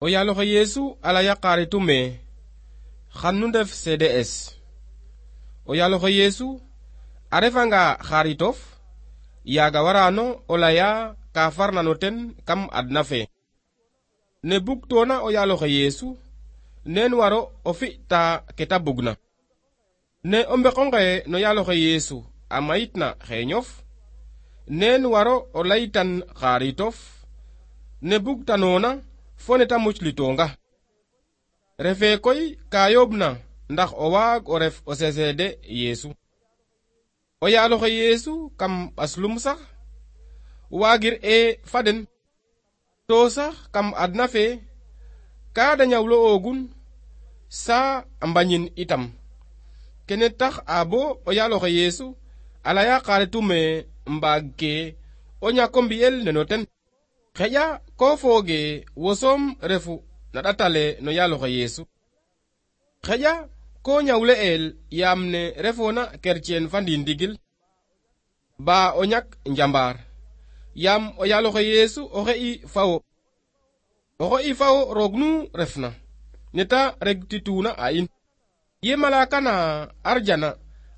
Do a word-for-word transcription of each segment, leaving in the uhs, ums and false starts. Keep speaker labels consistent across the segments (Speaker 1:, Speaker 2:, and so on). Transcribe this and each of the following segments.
Speaker 1: o yaaloxe Yeesu a laya xaaritum ee xan nu ndef C D S. o yaaloxe Yeesu a refanga xaaritof yaaga warano o laya ka farna no ten kam adna fe. ne bugtoona o yaaloxe Yeesu nen waro o fi'ta ke ta bugna. ne o mbeqonge no yaaloxe Yeesu a mayitna xeeñof nen waro o laytan xaaritof ne bugtanoona fo ne ta muclitonga. refe koy ka yoobna ndax o waag o ref o sesede Yeesu. o yaaloxe Yeesu kam ɓaslum sax waagir e faden to sax kam adna fe ka da ñawlo ogun sa a mbañin itam. kene tax a bo o yaaloxe Yeesu a laya xaaritume mbaag ke o ñako mbi'el neno ten. xeƴa ko fooge wo soom refu na ɗatale no yaaloxe Yeesu. xeƴa ko ñawle el yaam ne refoona kerceen fa ndindigil ba o ñak njambaar yaam o yaaloxe Yeesu o xe'i fawo o xe'i fawo roog nu refna neta regtituna a in. ye malaka na arjana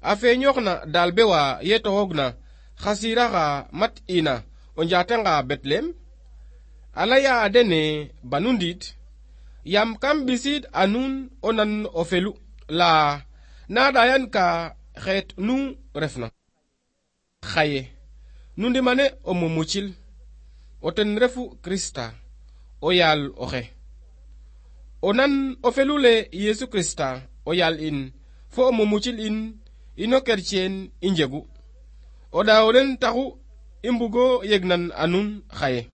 Speaker 1: a feeñooxna daal bewa ye toxoogna xa siiraxa mat ina o njaatanga Betlehem a laya dene banu ndiit yaam kam ɓisiid a nuun o nan o felu la na ɗayan ka xeet nu refna. xaye nu ndimane o mumucil o ten refu Krista o yaal oxe. o nan o felule Yeesu Krista o yaal in fo o mumucil in ino kerceen i njegu. o ɗaaw den taxu i mbugo yegnan a nuun xaye.